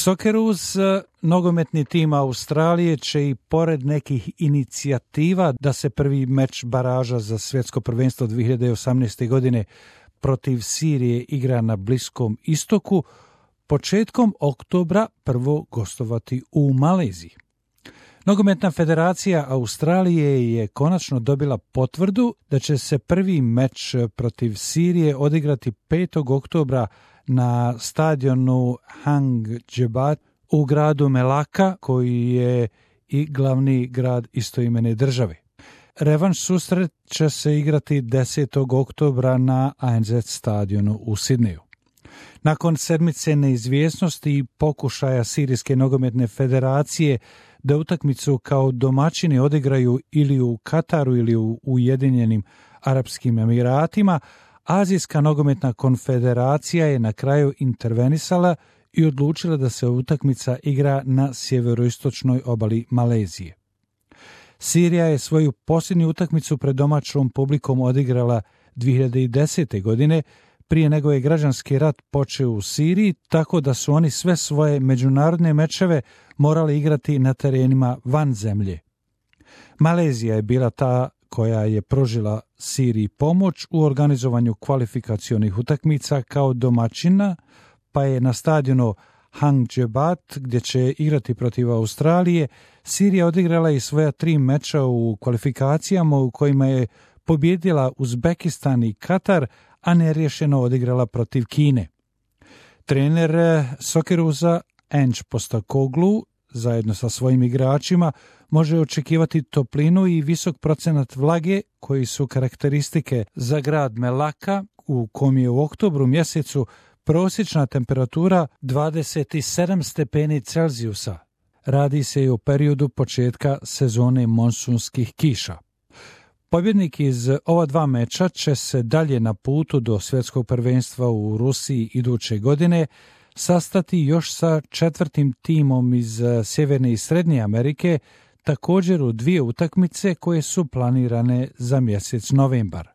Socceroos, nogometni tim Australije, će i pored nekih inicijativa da se prvi meč baraža za svjetsko prvenstvo 2018. godine protiv Sirije igra na Bliskom istoku, početkom oktobra prvo gostovati u Maleziji. Nogometna federacija Australije je konačno dobila potvrdu da će se prvi meč protiv Sirije odigrati 5. oktobra na stadionu Hang Jebat u gradu Melaka, koji je i glavni grad istoimene države. Revanš susret će se igrati 10. oktobra na ANZ stadionu u Sidneju. Nakon sedmice neizvjesnosti i pokušaja Sirijske nogometne federacije da utakmicu kao domaćini odigraju ili u Kataru ili u Ujedinjenim Arapskim Emiratima, Azijska nogometna konfederacija je na kraju intervenisala i odlučila da se utakmica igra na sjeveroistočnoj obali Malezije. Sirija je svoju posljednju utakmicu pred domaćom publikom odigrala 2010. godine, prije nego je građanski rat počeo u Siriji, tako da su oni sve svoje međunarodne mečeve morali igrati na terenima van zemlje. Malezija je bila ta koja je pružila Siriji pomoć u organizovanju kvalifikacionih utakmica kao domaćina, pa je na stadionu Hang Jebat, gdje će igrati protiv Australije, Sirija odigrala i svoja 3 meča u kvalifikacijama u kojima je pobjedila Uzbekistan i Katar, a neriješeno odigrala protiv Kine. Trener Socceroosa Ange Postecoglou zajedno sa svojim igračima može očekivati toplinu i visok procenat vlage koji su karakteristike za grad Melaka, u kom je u oktobru mjesecu prosječna temperatura 27 stepeni Celzijusa. Radi se i o periodu početka sezone monsunskih kiša. Pobjednik iz ova 2 meča će se dalje na putu do svjetskog prvenstva u Rusiji iduće godine sastati još sa 4. timom iz Sjeverne i Srednje Amerike, također u 2 utakmice koje su planirane za mjesec novembar.